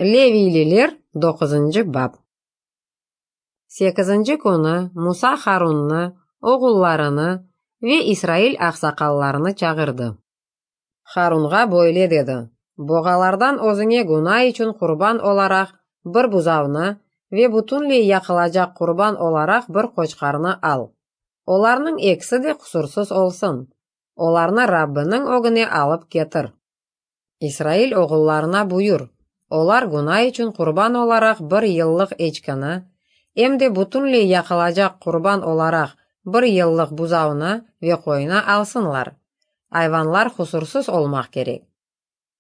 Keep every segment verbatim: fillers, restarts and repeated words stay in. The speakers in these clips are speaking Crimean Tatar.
Leviyliler, doquzıncı bap. Sekizinci künü Musa Harunnı, oğullarını ve İsrail aqsaqallarını çağırdı. Harunğa böyle dedi: Boğalardan özüñe güna içün qurban olaraq bir buzavnı ve bütünley yaqılacaq qurban olaraq bir qoçqarnı al. Olarnıñ ekisi de qusursız olsun. Olarnı Rabbiniñ ögüne alıp ketir. İsrail oğullarına buyur, olar güna içün qurban olaraq bir yıllıq eçkini, em de bütünley yaqılacaq qurban olaraq bir yıllıq buzavnı ve qoynı alsınlar. Ayvanlar qusursız olmaq kerek.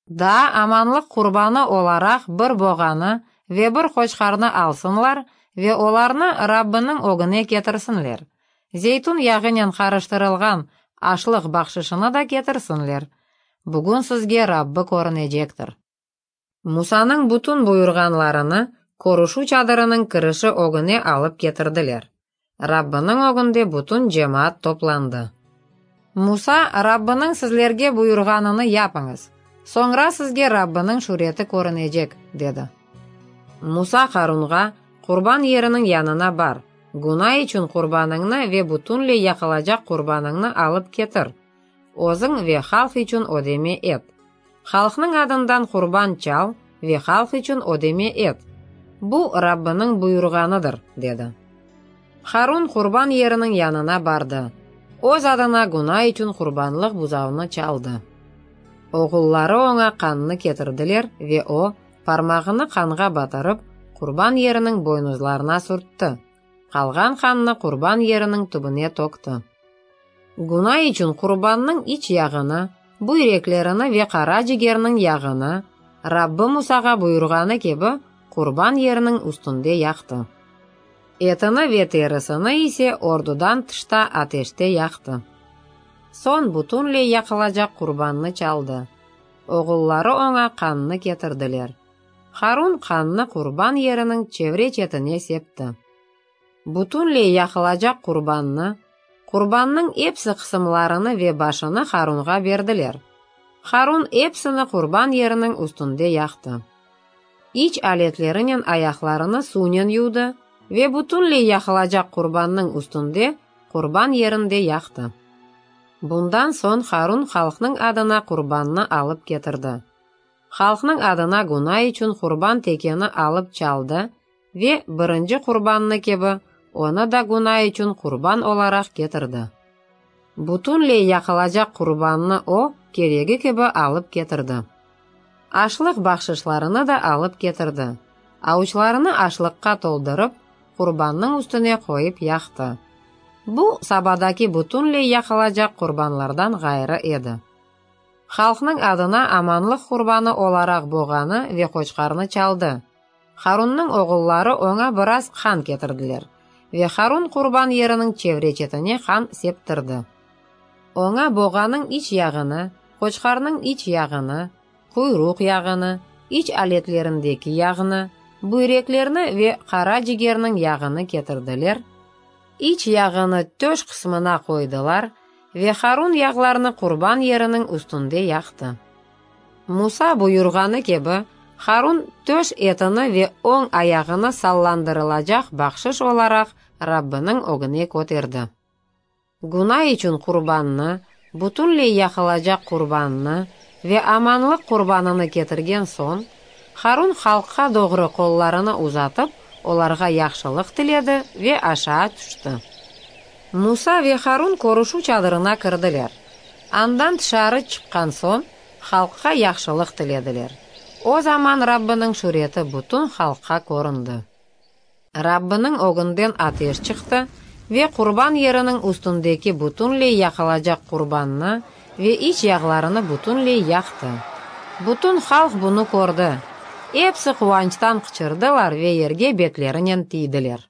Daa amanlıq qurbanı olaraq bir boğanı ve bir qoçqarnı alsınlar ve olarnı Rabbiniñ ögüne ketirsinler. Zeytün yağınen qarıştırılğan aşlıq bahşışını da ketirsinler. Bugün sizge Rabbi körünecektir. Musanıñ bütün buyurğanlarını körüşüv çadırınıñ kirişi ögüne alıp ketirdiler. Rabbiniñ ögünde bütün cemaat toplandı. Musa, Rabbiniñ sizlerge buyurğanını yapıñız, soñra sizge Rabbiniñ şüreti körünecek, dedi. Musa Harunğa, Qurban yeriniñ yanına bar, güna içün qurbanıñnı ve bütünley yaqılacaq qurbanıñnı alıp ketir, özüñ ve halq içün ödeme et. Halqnıñ adından qurban çal ve halq içün ödeme et. Bu, Rabbiniñ buyurğanıdır, dedi. Harun qurban yeriniñ yanına bardı. Öz adına güna içün qurbanlıq buzavnı çaldı. Oğulları oña qannı ketirdiler ve o, parmağını qanğa batırıp, qurban yeriniñ boynuzlarına sürtti. Qalğan qannı qurban yeriniñ tübüne tökti. Güna içün qurbannıñ iç yağını, büyreklerini ve qara cigerniñ yağını, Rabbi Musağa buyurğanı kibi, qurban yeriniñ üstünde yaqtı. Etini ve terisini ise ordudan tışta ateşte yaqtı. Soñ bütünley yaqılacaq qurbannı çaldı. Oğulları oña qannı ketirdiler. Harun qannı qurban yeriniñ çevre-çetine septi. Bütünley yaqılacaq qurbannı, qurbannıñ epsi qısımlarını ve başını Harunğa berdiler. Harun epsini qurban yeriniñ üstünde yaqtı. İç aletlerinen ayaqlarını suvnen yuvdı ve bütünley yaqılacaq qurbannıñ üstünde qurban yerinde yaqtı. Bundan soñ Harun halqnıñ adına qurbannı alıp ketirdi. Halqnıñ adına güna içün qurban tekeni alıp çaldı ve birinci qurbannı kibi onı da güna içün qurban olaraq ketirdi. Bütünley yaqılacaq qurbannı o, keregi kibi alıp ketirdi. Aşlıq bahşışlarını da alıp ketirdi. Avuçlarını aşlıqqa toldurıp, qurbannıñ üstüne qoyıp yaqtı. Bu, sabadaki bütünley yaqılacaq qurbanlardan ğayrı edi. Halqnıñ adına amanlıq qurbanı olaraq boğanı ve qoçqarnı çaldı. Harunnıñ oğulları oña biraz qan ketirdiler ve Harun qurban yeriniñ çevre-çetine qan septirdi. Oña boğanıñ iç yağını, qoçqarnıñ iç yağını, quyruq yağını, iç aletlerindeki yağnı, büyreklerni ve qara cigerniñ yağını ketirdiler, iç yağını töş qısmına qoydılar ve Harun yağlarnı qurban yeriniñ üstünde yaqtı. Musa buyurğanı kibi, Harun töş etini ve oñ ayağını sallandırılacaq bahşış olaraq Rabbiniñ ögüne köterdi. Güna içün qurbannı, bütünley yaqılacaq qurbannı ve amanlıq qurbanını ketirgen soñ, Harun halqqa doğru qollarını uzatıp, olarğa yahşılıq tiledi ve aşağı tüşti. Musa ve Harun körüşüv çadırına kirdiler. Andan tışarı çıqqan soñ, halqqa yahşılıq tilediler. O zaman Rabbiniñ şüreti bütün halqqa köründi. Rabbiniñ ögünden ateş çıqtı ve qurban yeriniñ üstündeki bütünley yaqılacaq qurbannı ve iç yağlarını bütünley yaqtı. Bütün halq bunı kördi. Episi quvançtan qıçırdılar ve yerge betlerinen tiydiler.